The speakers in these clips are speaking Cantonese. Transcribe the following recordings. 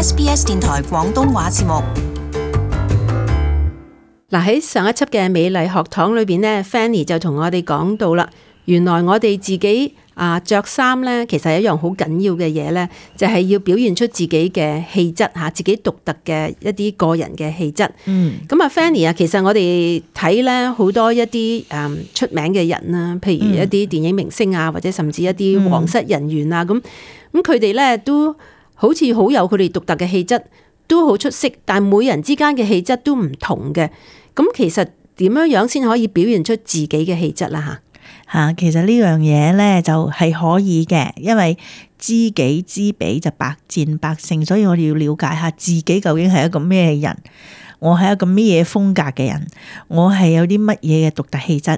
SBS 電台廣東話節目。嗱，喺上一輯嘅美麗學堂裏邊呢 Fanny 就同我哋講到啦，原來我哋自己着衫呢，其實係一樣好緊要嘅嘢呢，就係要表現出自己嘅氣質嚇，自己獨特嘅一啲個人嘅氣質。咁Fanny 啊，其實我哋睇呢好多一啲出名嘅人啦，譬如一啲電影明星啊，或者甚至一啲皇室人員啊，咁佢哋呢都好似好有佢哋獨特嘅氣質，都好出色，但係每人之間嘅氣質都唔同嘅。咁其實點樣樣先可以表現出自己嘅氣質啦？其實呢樣嘢咧就係可以嘅，因為知己知彼就百戰百勝，所以我哋要了解下自己究竟係一個咩人，我係一個咩嘢風格嘅人，我係有啲乜嘢嘅獨特氣質，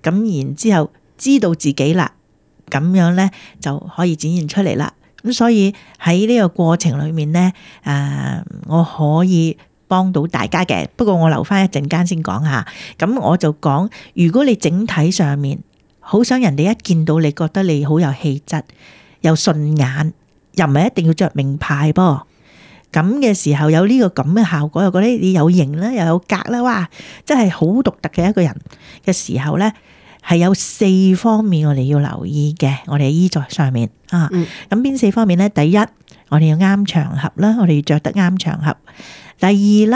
咁然之後知道自己啦，咁樣咧就可以展現出嚟啦。咁所以喺呢個過程裏面咧，我可以幫到大家嘅，不過我留翻一陣間先講下。咁我就講，如果你整體上面好想人哋一見到你覺得你好有氣質，又順眼，又唔係一定要着名牌噃。咁嘅時候有呢個咁嘅效果，又覺得你有型啦，又有格啦，哇，真係好獨特嘅一個人嘅時候咧，係有4方面我哋要留意嘅。我哋衣着上面咁邊4方面咧？第一，我哋要啱場合啦，我哋要着得啱場合。第二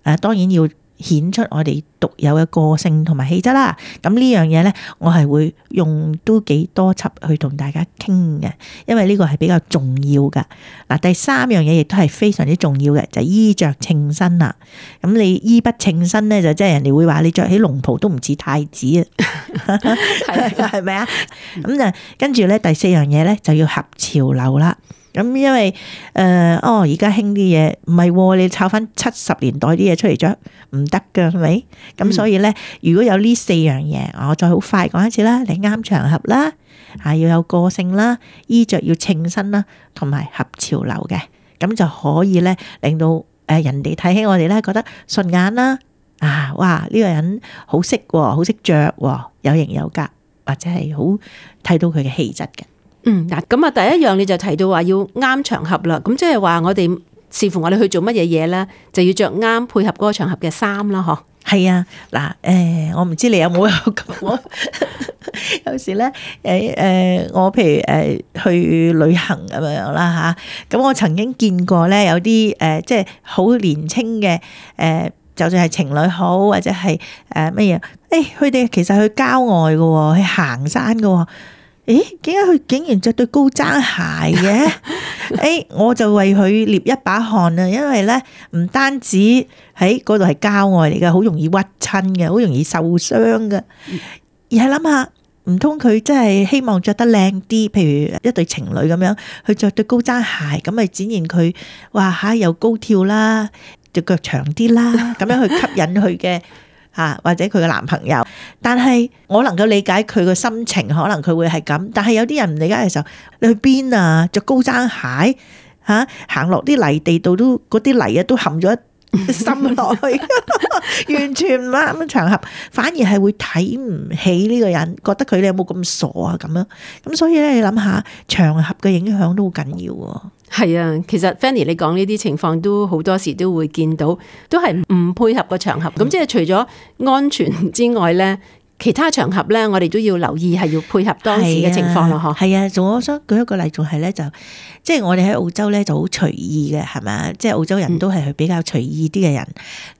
咧，當然要顯出我哋獨有嘅個性同埋氣質啦。咁呢樣嘢咧，我係會用都幾多輯去同大家傾嘅，因為呢個係比較重要噶。嗱，第3樣嘢亦都係非常之重要嘅，就係衣着稱身啦。咁你衣不稱身咧，就即係人哋會話你着起龍袍都唔似太子啊，係咪啊？咁就跟住咧，第4樣嘢咧就要合潮流啦。咁因為而家興啲嘢唔係，你抄翻70年代啲嘢出嚟着唔得㗎，係咪？咁所以咧，如果有呢4樣嘢，我再好快講一次啦。你啱場合啦，要有個性啦，衣着要稱身啦，同埋合潮流嘅，咁就可以咧令到人哋睇起我哋咧覺得順眼啦。哇！呢個人好識喎，好識着喎，有型有格，或者係好睇到佢嘅氣質嘅。嗱，咁啊，第一樣你就提到話要啱場合啦，咁即係話我哋視乎我哋去做乜嘢嘢咧，就要着啱配合嗰個場合嘅衫啦，嗬。係啊，嗱，我唔知你有冇咁，有時咧，我譬如去旅行咁樣啦吓，咁我曾經見過咧有啲即係好年輕嘅就算係情侶好，或者係乜嘢，佢哋其實去郊外嘅，去行山嘅。點解佢竟然着對高踭鞋嘅？我就為佢捏一把汗啊！因為咧，唔單止喺嗰度係郊外嚟嘅，好容易屈親嘅，好容易受傷嘅。而係諗下，唔通佢真係希望着得靚啲？譬如一對情侶咁樣，去着對高踭鞋，咁咪展現佢哇又高跳啦，隻腳長啲啦，咁樣去吸引佢嘅。或者佢嘅男朋友，但係我能夠理解佢嘅心情，可能佢會係咁。但係有啲人唔理解嘅時候，你去邊啊？着高踭鞋行落啲泥地度都嗰啲泥都含咗一心落去，完全唔啱嘅場合，反而係會睇唔起呢個人，覺得佢哋有冇咁傻啊咁樣。咁所以咧，你諗下場合嘅影響都好緊要喎。係啊，其實 Fanny 你講呢啲情況都好多時都會見到，都係唔配合個場合。咁即係除咗安全之外咧，其他場合咧，我哋都要留意係要配合當時嘅情況咯。嗬，係啊，仲我想舉一個例，仲係咧就即係我哋喺澳洲咧就好隨意嘅，係咪？即係澳洲人都係比較隨意啲嘅人。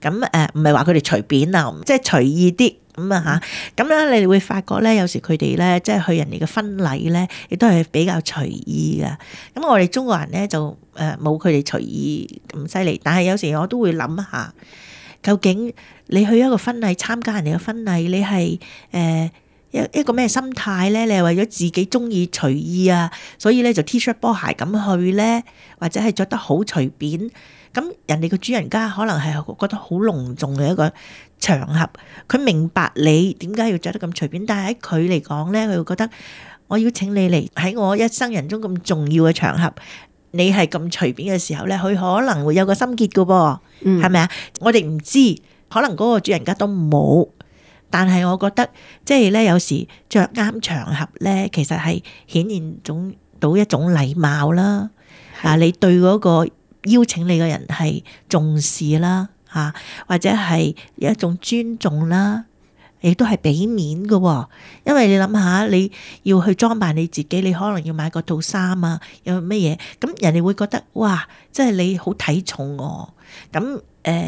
咁唔係話佢哋隨便啊，即係隨意啲。咁啊嚇，咁樣你哋會發覺咧，有時佢哋咧，即係去人哋嘅婚禮咧，亦都係比較隨意㗎。咁我哋中國人咧就冇佢哋隨意咁犀利，但係有時我都會諗下，究竟你去一個婚禮參加人哋嘅婚禮，你係一個咩心態咧？你係為咗自己中意隨意啊，所以咧就 T 恤波鞋咁去咧，或者係着得好隨便？咁人哋個主人家可能係覺得好隆重嘅一個場合，佢明白你點解要着得咁隨便，但係喺佢嚟講咧，佢會覺得我邀請你嚟喺我一生人中咁重要嘅場合，你係咁隨便嘅時候咧，佢可能會有個心結㗎噃，係咪啊？我哋唔知，可能嗰個主人家都冇，但係我覺得即係咧，有時着啱場合咧，其實係顯現到一種禮貌啦。你對嗰個邀請你嘅人係重視啦，嚇，或者係有一種尊重啦，亦都係俾面嘅。因為你諗下，你要去裝扮你自己，你可能要買個套衫啊，有乜嘢，咁人哋會覺得哇，即係你好睇重我。咁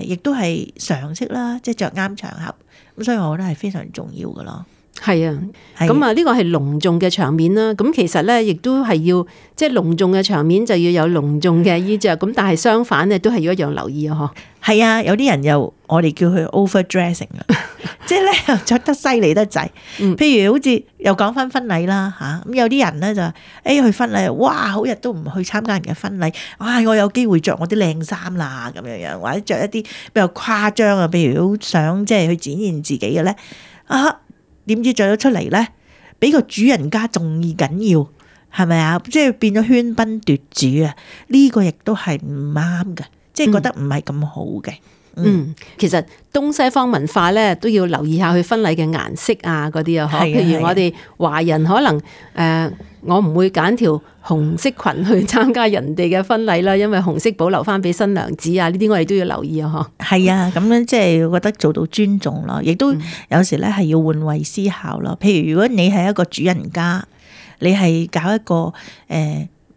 亦都係常識啦，即係着啱場合。咁所以我覺得係非常重要嘅咯。係啊，咁啊呢個係隆重嘅場面啦。咁其實咧，亦都係要即係隆重嘅場面就要有隆重嘅衣着。咁但係相反咧，都係要一樣留意啊！嗬。係啊，有啲人又我哋叫佢 overdressing 啊，即係咧又着得犀利得滯。譬如好似又講翻婚禮啦嚇，咁有啲人咧就去婚禮，哇好日都唔去參加人嘅婚禮，我有機會着我啲靚衫啦咁樣樣，或者着一啲比較誇張啊，譬如好想即係去展現自己嘅咧點知着咗出嚟咧，比個主人家仲緊要，係咪啊？即係變咗喧賓奪主啊！呢個亦都係唔啱嘅，即係覺得唔係咁好嘅。其實東西方文化咧都要留意下佢婚禮嘅顏色啊嗰啲啊，譬如我哋華人可能我唔會揀條紅色裙去參加人哋嘅婚禮啦，因為紅色保留翻俾新娘子啊，呢啲我哋都要留意啊。係啊，咁樣即係覺得做到尊重咯，亦都有時咧係要換位思考咯。譬如如果你係一個主人家，你係搞一個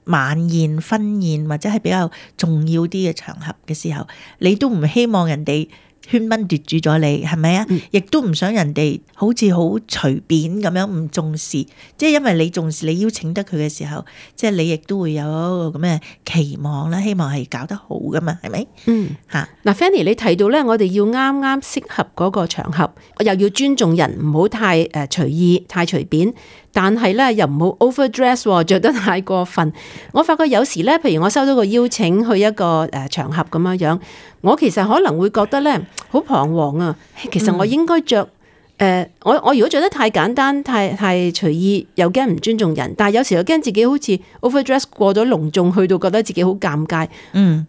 晚宴、婚宴或者係比較重要啲嘅場合嘅時候，你都唔希望人哋喧賓奪主咗你，係咪啊？亦都唔想人哋好似好隨便咁樣唔重視，即係因為你重視，你邀請得佢嘅時候，即係你亦都會有一個咁嘅期望啦，希望係搞得好噶嘛，係咪？嗱，Fanny 你提到咧，我哋要啱啱適合嗰個場合，又要尊重人，唔好太隨意、太隨便。但係咧又唔好 overdress， 着得太過分。我發覺有時咧，譬如我收到個邀請去一個場合咁樣樣，我其實可能會覺得咧好彷徨啊。其實我應該着我如果着得太簡單、太隨意，又驚唔尊重人。但係有時又驚自己好似 overdress 過咗隆重，去到覺得自己好尷尬。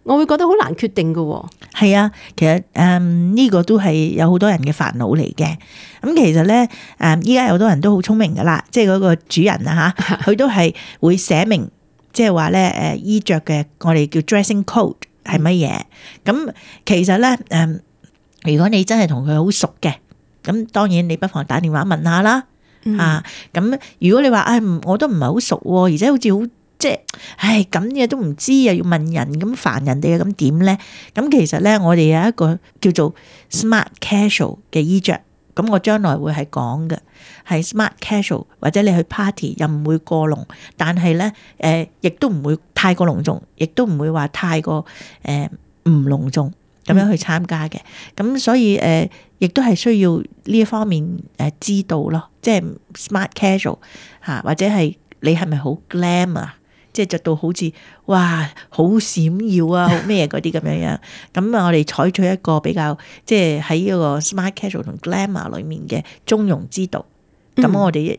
我會覺得好難決定㗎。係啊，其實呢個都係有好多人嘅煩惱嚟嘅。咁其實咧依家有好多人都好聰明噶啦，即係嗰個主人啊嚇，佢都係會寫明，即係話咧衣着嘅我哋叫 dressing code 係乜嘢。咁其實咧如果你真係同佢好熟嘅，咁當然你不妨打電話問下啦。咁如果你話我都唔係好熟喎，而且好似好即係咁嘢都唔知，又要問人咁煩人哋，咁點咧？咁其實咧我哋有一個叫做 smart casual 嘅衣着。咁我將來會係講嘅，係 smart casual， 或者你去 party 又唔會過濃，但係咧亦都唔會太過隆重，亦都唔會話太過唔隆重咁樣去參加嘅。咁所以亦都係需要呢一方面知道咯，即係 smart casual 或者係你係咪好 glam 啊？即係着到好似哇好閃耀啊，好咩嗰啲咁樣樣。咁我哋採取一個比較即係喺呢個 smart casual 同 glamour 裏面嘅中庸之道。咁我哋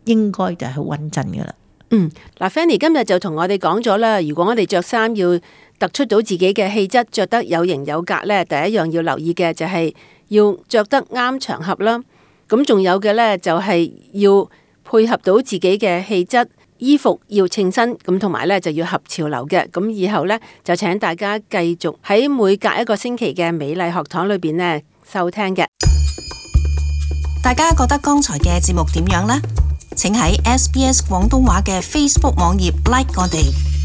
應該就係好穩陣噶啦。嗱，Fanny 今日就同我哋講咗啦，如果我哋着衫要突出到自己嘅氣質，着得有型有格咧，第一樣要留意嘅就係要着得啱場合啦。咁仲有嘅咧就係要配合到自己嘅氣質。衣服要稱身，咁同埋咧就要合潮流嘅。咁以後咧就請大家繼續喺每隔一個星期嘅美麗學堂裏邊咧收聽嘅。大家覺得剛才嘅節目點樣呢？請喺SBS 廣東話嘅 Facebook 網頁 like 我哋。